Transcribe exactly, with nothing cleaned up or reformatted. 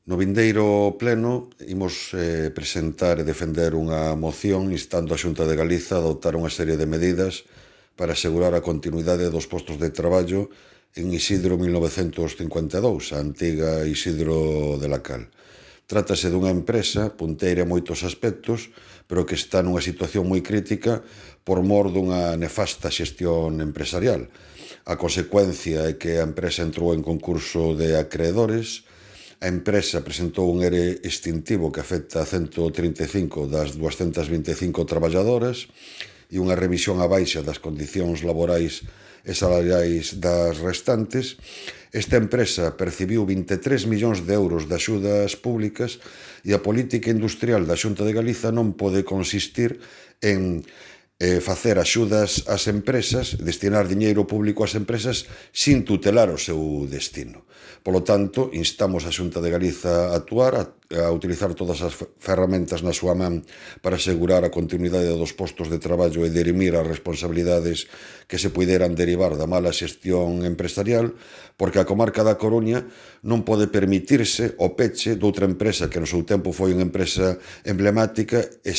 No vindeiro pleno imos eh, presentar e defender unha moción instando a Xunta de Galiza a adoptar unha serie de medidas para asegurar a continuidade dos postos de traballo en Isidro mil novecentos cincuenta e dous, a antiga Isidro de la Cal. Trátase dunha empresa punteira en moitos aspectos, pero que está nunha situación moi crítica por mor dunha nefasta xestión empresarial. A consecuencia é que a empresa entrou en concurso de acreedores. A empresa presentou un ERE extintivo que afecta a ciento trinta e cinco das duascentas vinte e cinco traballadoras e unha revisión á baixa das condicións laborais e salariais das restantes. Esta empresa percibiu vinte e tres millóns de euros de axudas públicas e a política industrial da Xunta de Galiza non pode consistir en eh, facer axudas ás empresas, destinar diñeiro público ás empresas sin tutelar o seu destino. Polo tanto, instamos a Xunta de Galiza a actuar, a, a utilizar todas as ferramentas na súa man para asegurar a continuidade dos postos de traballo e dirimir as responsabilidades que se puideran derivar da mala xestión empresarial, porque a comarca da Coruña non pode permitirse o peche doutra empresa que no seu tempo foi unha empresa emblemática e